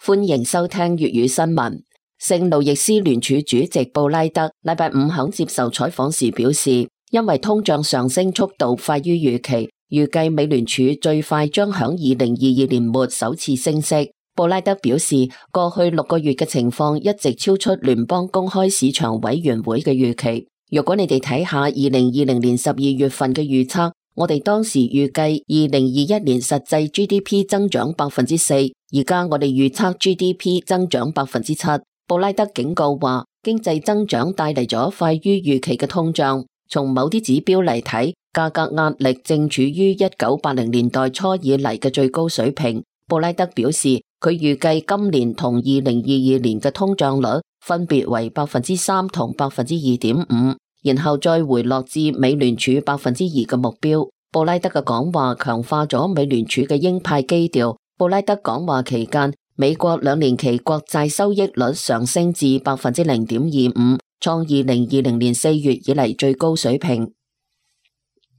歡迎收聽粵語新聞。聖路易斯聯儲主席布拉德禮拜五響接受採訪時表示，因為通脹上升速度快於預期，預計美聯儲最快將響2022年末首次升息。布拉德表示，過去6個月嘅情況一直超出聯邦公開市場委員會嘅預期。如果你哋睇下2020年12月份嘅預測，我哋當時預計2021年實際 GDP 增長 4%， 而家我哋預測 GDP 增長 7%。布拉德警告話，經濟增長帶嚟咗快於預期嘅通脹。從某啲指標嚟睇，價格壓力正處於1980年代初以嚟嘅最高水平。布拉德表示，佢預計今年同2022年嘅通脹率分別為 3% 同 2.5%。然後再回落至美聯儲 2% 嘅目標。布拉德嘅講話強化咗美聯儲嘅鷹派基調。布拉德講話期間，美國2年期國債收益率上升至 0.25%， 創2020年4月以嚟最高水平。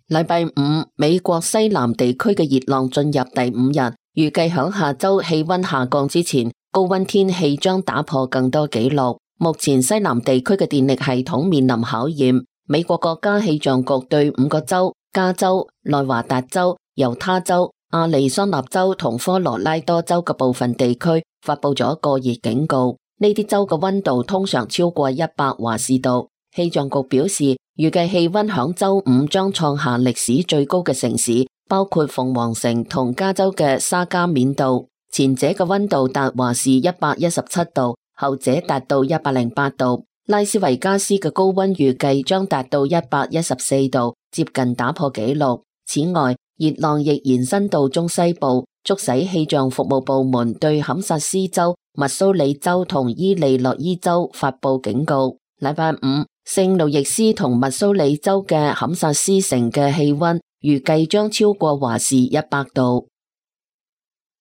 禮拜五，美國西南地區嘅熱浪進入第5日，預計響下周氣溫下降之前，高溫天氣將打破更多紀錄。目前西南地區嘅電力系統面臨考驗。美國國家氣象局對5個州加州、內華達州、猶他州、亞利桑那州同科羅拉多州嘅部分地區發佈咗過熱警告。呢啲州嘅溫度通常超過100華氏度。氣象局表示，預計氣溫響周五將創下歷史最高嘅城市，包括鳳凰城同加州嘅沙加緬度。前者嘅溫度達華氏117度。後者達到108度，拉斯維加斯嘅高溫預計將達到114度，接近打破紀錄。此外，熱浪亦延伸到中西部，促使氣象服務部門對堪薩斯州、密蘇里州同伊利諾伊州發佈警告。禮拜五，聖路易斯同密蘇里州嘅堪薩斯城嘅氣溫預計將超過華氏100度。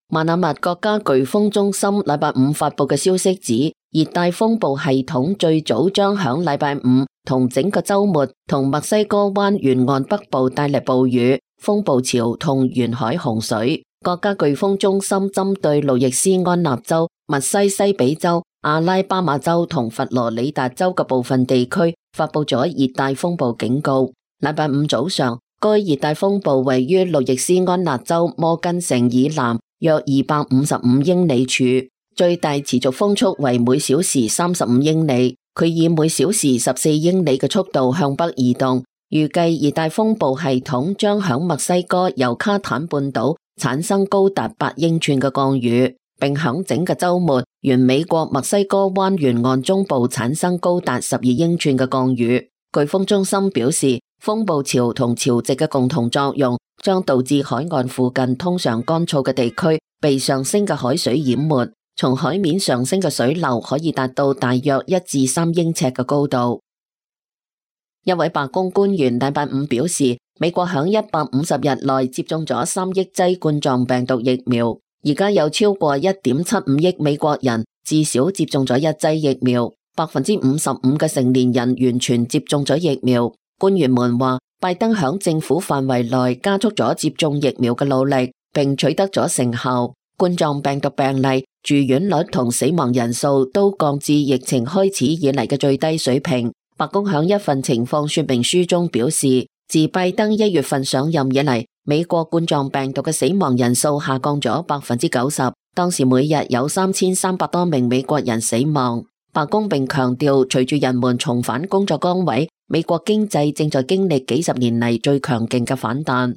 馬那密國家颶風中心禮拜五發佈嘅消息指，熱帶風暴系統最早將響禮拜五同整個周末同墨西哥灣沿岸北部帶嚟暴雨、風暴潮同沿海洪水。國家颶風中心針對路易斯安那州、密西西比州、阿拉巴馬州同佛羅里達州嘅部分地區發佈咗熱帶風暴警告。禮拜五早上，該熱帶風暴位於路易斯安那州摩根城以南約255英里處，最大持續風速為每小時35英里。佢以每小時14英里嘅速度向北移動。預計熱帶風暴系統將響墨西哥尤卡坦半島產生高達8英寸嘅降雨，並響整個周末沿美國墨西哥灣沿岸中部產生高達12英寸嘅降雨。颶風中心表示，風暴潮同潮汐嘅共同作用將導致海岸附近通常乾燥嘅地區被上升嘅海水淹沒，從海面上升嘅水流可以達到大約1至3英尺嘅高度。一位白宮官員禮拜五表示，美國響150日內接種咗3億劑冠狀病毒疫苗，而家有超過 1.75 億美國人至少接種咗1劑疫苗，55%嘅成年人完全接種咗疫苗。官員們話，拜登響政府範圍內加速咗接種疫苗嘅努力，並取得咗成效。冠狀病毒病例、住院率同死亡人數都降至疫情開始以嚟嘅最低水平。白宮響一份情況說明書中表示，自拜登1月份上任以嚟，美國冠狀病毒嘅死亡人數下降咗 90%， 當時每日有3300多名美國人死亡。白宮並強調，隨住人們重返工作崗位，美國經濟正在經歷幾十年嚟最強勁嘅反彈。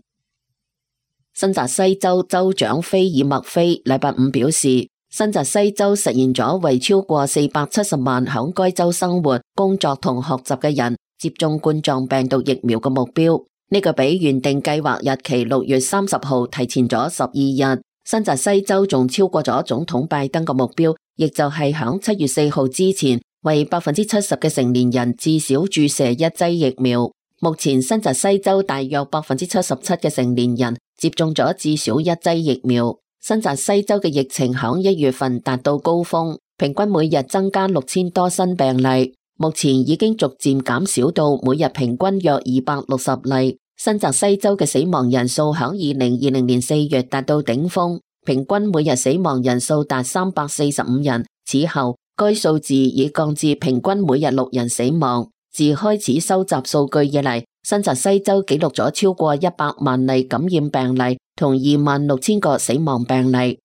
新澤西州州長菲爾麥菲禮拜五表示，新澤西州實現咗為超過470萬響該州生活、工作同學習嘅人接種冠狀病毒疫苗嘅目標，呢個比原定計劃日期6月30號提前咗12日。新澤西州仲超過咗總統拜登嘅目標，亦就係響7月4號之前，為70%嘅成年人至少注射1劑疫苗。目前新澤西州大約77%嘅成年人接種咗至少1劑疫苗。新澤西州嘅疫情響1月份達到高峰，平均每日增加6000多新病例，目前已經逐漸減少到每日平均約260例。新澤西州嘅死亡人數響2020年4月達到頂峰，平均每日死亡人數達345人。此後，該數字已降至平均每日6人死亡。自開始收集數據以嚟，新澤西州記錄咗超過100萬例感染病例同26,000個死亡病例。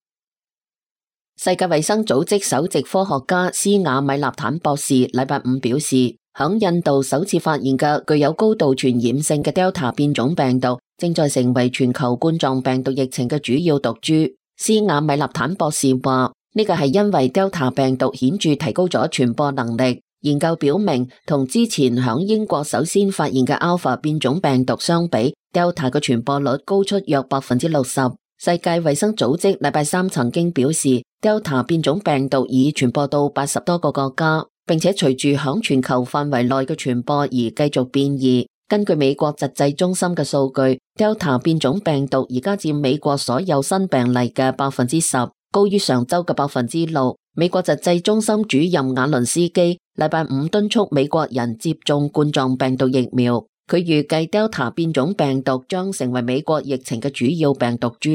世界衛生組織首席科學家斯瓦米納坦博士禮拜五表示，響印度首次發現嘅具有高度傳染性嘅 Delta 變種病毒，正在成為全球冠狀病毒疫情嘅主要毒株。斯瓦米納坦博士話，呢個係因為 Delta 病毒顯著提高咗傳播能力。研究表明，同之前響英國首先發現嘅 Alpha 變種病毒相比， Delta 嘅傳播率高出約 60%。世界衛生組織禮拜三曾經表示， Delta 變種病毒已傳播到80多個國家，並且隨住響全球範圍內嘅傳播而繼續變異。根據美國疾控中心嘅數據， Delta 變種病毒而家佔美國所有新病例嘅 10%， 高於上周嘅 6%。美國疾控中心主任瓦倫斯基禮拜五敦促美國人接種冠狀病毒疫苗。佢預計 Delta 變種病毒將成為美國疫情嘅主要病毒株。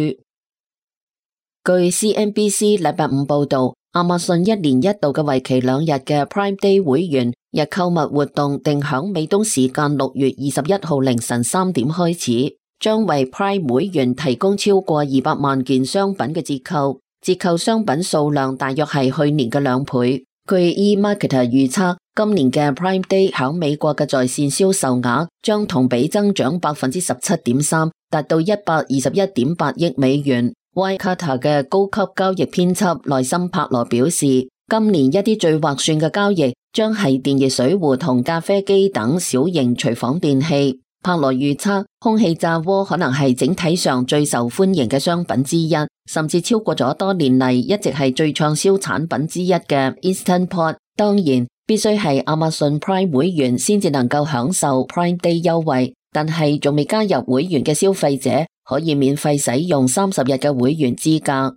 據 CNBC 禮拜五報道，亞馬遜一年一度嘅為期2日嘅 Prime Day 會員日購物活動定響美東時間6月21號凌晨3點開始，將為 Prime 會員提供超過200萬件商品嘅折扣，折扣商品數量大約係去年嘅2倍。據 eMarketer 預測，今年嘅 Prime Day 響美國嘅在線銷售額將同比增長 17.3%， 達到121.8億美元。Wirecutter 嘅高級交易編輯內森帕羅表示，今年一啲最劃算嘅交易將係電熱水壺同咖啡機等小型廚房電器。帕羅預測，空氣炸鍋可能係整體上最受歡迎嘅商品之一，甚至超過咗多年嚟一直係最暢銷產品之一嘅 Instant Pot。當然，必須係亞馬遜 Prime 會員先至能夠享受 Prime Day 優惠，但係仲未加入會員嘅消費者可以免費使用30日嘅會員資格。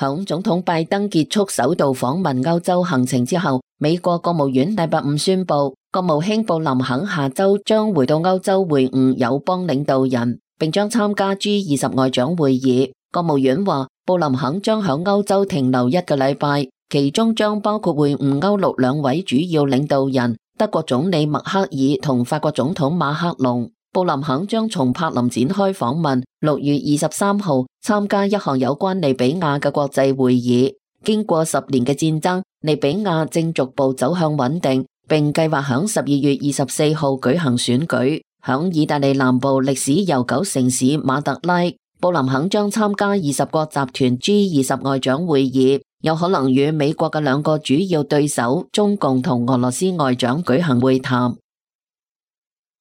響總統拜登結束首度訪問歐洲行程之後，美國國務院禮拜五宣布，國務卿布林肯下周將回到歐洲會晤友邦領導人，並將參加 G20 外長會議。國務院話，布林肯將響歐洲停留1個禮拜，其中將包括會晤歐陸2位主要領導人，德國總理默克爾同法國總統馬克龍。布林肯將從柏林展開訪問，6月23號參加一項有關利比亞嘅國際會議。經過10年嘅戰爭，利比亞正逐步走向穩定，並計劃響12月24號舉行選舉。響意大利南部歷史悠久城市馬特拉，布林肯將參加20國集團 G20 外長會議，有可能與美國嘅2個主要對手中共同俄羅斯外長舉行會談。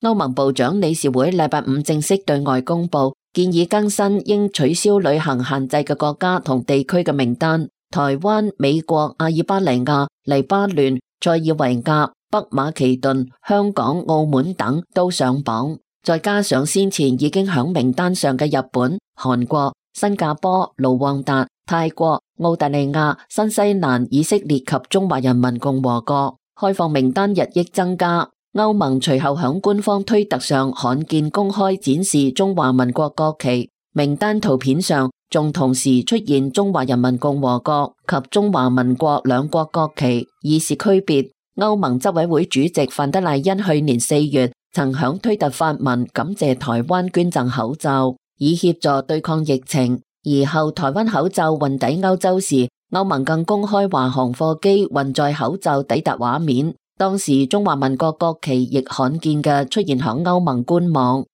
歐盟部長理事會禮拜五正式對外公布，建議更新應取消旅行限制嘅國家同地區嘅名單。台灣、美國、阿爾巴尼亞、黎巴嫩、塞爾維亞、北馬其頓、香港、澳門等都上榜，再加上先前已經響名單上嘅日本、韓國、新加坡、盧旺達、泰國、澳大利亞、新西蘭、以色列及中華人民共和國，開放名單日益增加。歐盟隨後響官方推特上罕見公開展示中華民國國旗，名單圖片上仲同時出現中華人民共和國及中華民國2國國旗，以示區別。歐盟執委會主席范德賴恩去年4月曾響推特發文感謝台灣捐贈口罩，以協助對抗疫情。而後台灣口罩運抵歐洲時，歐盟更公開華航貨機運載口罩抵達畫面。當時中華民國國旗亦罕見嘅出現響歐盟官網。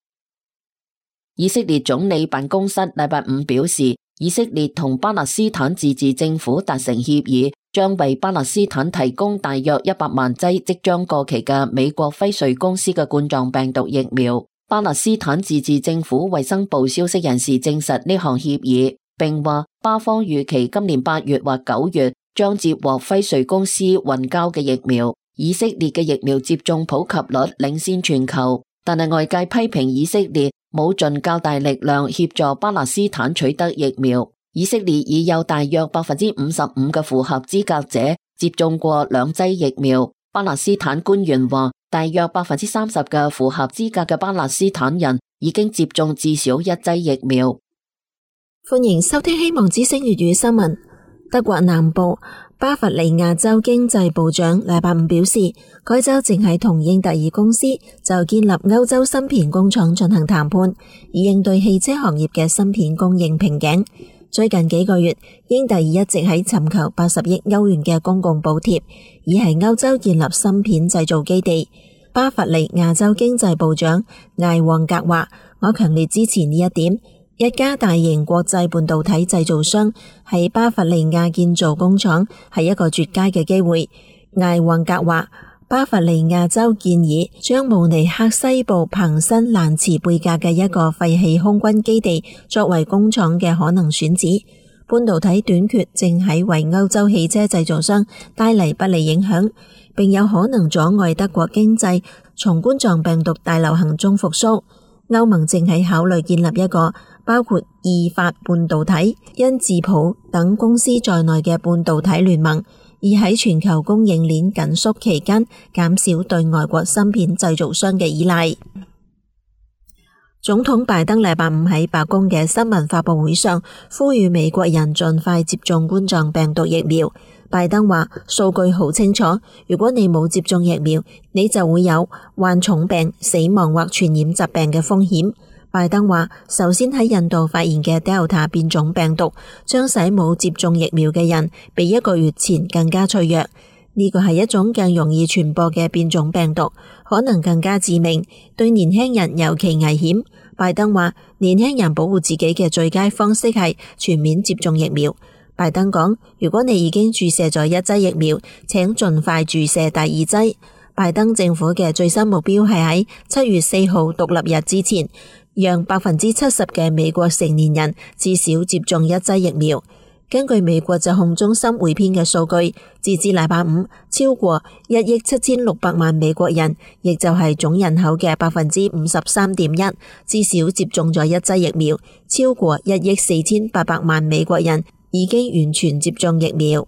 以色列總理辦公室禮拜五表示，以色列同巴勒斯坦自治政府達成協議，將為巴勒斯坦提供大約100萬劑即將過期嘅美國輝瑞公司嘅冠狀病毒疫苗。巴勒斯坦自治政府衛生部消息人士證實呢項協議，並話巴方預期今年8月或9月將接獲輝瑞公司運交嘅疫苗。以色列嘅疫苗接種普及率領先全球，但係外界批評以色列冇盡較大力量協助巴勒斯坦取得疫苗。以色列已有大約 55% 嘅符合資格者接種過2劑疫苗。巴勒斯坦官員話，大約 30% 嘅符合資格嘅巴勒斯坦人已經接種至少1劑疫苗。歡迎收聽希望之聲粵語新聞。德國南部巴伐利亞州經濟部長禮拜五表示，該州正喺同英特爾公司就建立歐洲芯片工廠進行談判，以應對汽車行業嘅芯片供應瓶頸。最近幾個月，英特爾一直喺尋求80億歐元嘅公共補貼，以喺歐洲建立芯片製造基地。巴伐利亞州經濟部長艾旺格話：我強烈支持呢一點。一家大型國際半導體製造商喺巴伐利亞建造工廠係一個絕佳嘅機會。艾旺格話：巴伐利亞州建議將慕尼黑西部彭辛蘭茨貝格嘅一個廢棄空軍基地作為工廠嘅可能選址。半導體短缺正喺為歐洲汽車製造商帶嚟不利影響，並有可能阻礙德國經濟從冠狀病毒大流行中復甦。歐盟正喺考慮建立一個包括意法半導體、恩智浦等公司在內嘅半導體聯盟，以喺全球供應鏈緊縮期間減少對外國芯片製造商嘅依賴。總統拜登禮拜五喺白宮嘅新聞發佈會上呼籲美國人盡快接種冠狀病毒疫苗。拜登話：數據好清楚，如果你冇接種疫苗，你就會有患重病、死亡或傳染疾病嘅風險。拜登話：首先喺印度發現嘅 Delta 變種病毒，將使冇接種疫苗嘅人比1個月前更加脆弱。呢個係一種更容易傳播嘅變種病毒，可能更加致命，對年輕人尤其危險。拜登話：年輕人保護自己嘅最佳方式係全面接種疫苗。拜登講：如果你已經注射咗1劑疫苗，請盡快注射第2劑。拜登政府嘅最新目標係喺7月4號獨立日之前，讓70%嘅美國成年人至少接種1劑疫苗。根據美國疾控中心匯編嘅數據，截至禮拜五，超過1億7600萬美國人，亦就係總人口嘅53.1%，至少接種咗1劑疫苗。超過1億4800萬美國人已經完全接種疫苗。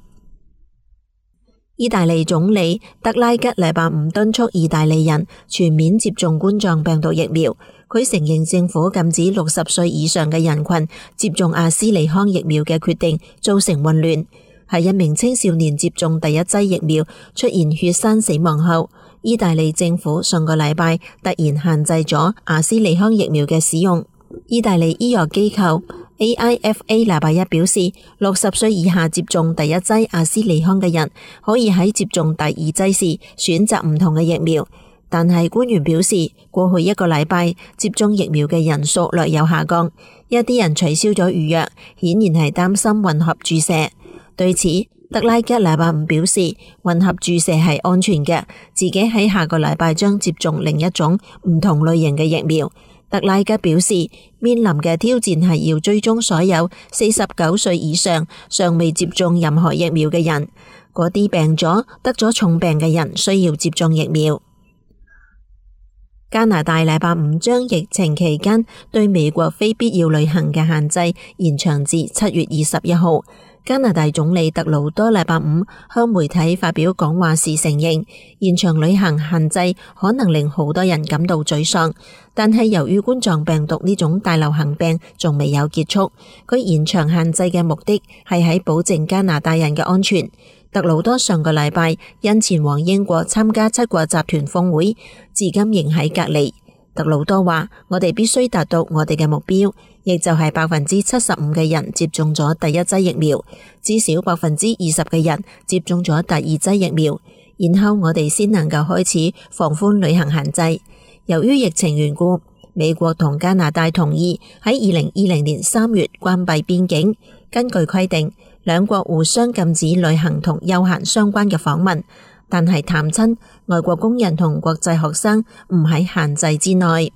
意大利總理德拉吉禮拜五敦促意大利人全面接種冠狀病毒疫苗。佢承認政府禁止60歲以上嘅人群接種阿斯利康疫苗嘅決定造成混亂。喺一名青少年接種第1劑疫苗出現血栓死亡後，意大利政府上個禮拜突然限制咗阿斯利康疫苗嘅使用。意大利醫藥機構 AIFA 禮拜一表示，60歲以下接種第1劑阿斯利康嘅人可以喺接種第2劑時選擇唔同嘅疫苗。但係官員表示，過去1個禮拜接種疫苗嘅人數略有下降，一啲人取消咗預約，顯然係擔心混合注射。對此，德拉吉禮拜五表示，混合注射係安全嘅，自己喺下個禮拜將接種另一種唔同類型嘅疫苗。德拉吉表示，面臨嘅挑戰係要追蹤所有49歲以上尚未接種任何疫苗嘅人，嗰啲病咗、得咗重病嘅人需要接種疫苗。加拿大禮拜五將疫情期間對美國非必要旅行嘅限制延長至7月21號。加拿大總理特魯多禮拜五向媒體發表講話時承認，延長旅行限制可能令好多人感到沮喪，但係由於冠狀病毒呢種大流行病仲未有結束，佢延長限制嘅目的係喺保證加拿大人嘅安全。特魯多上個禮拜因前往英國參加7國集團峰會，至今仍喺隔離。特魯多話：我哋必須達到我哋嘅目標，亦就係75%嘅人接種咗第1劑疫苗，至少20%嘅人接種咗第2劑疫苗，然後我哋先能夠開始放寬旅行限制。由於疫情緣故，美國同加拿大同意喺2020年3月關閉邊境。根據規定，兩國互相禁止旅行同休閒相關嘅訪問，但係探親、外國工人同國際學生唔喺限制之內。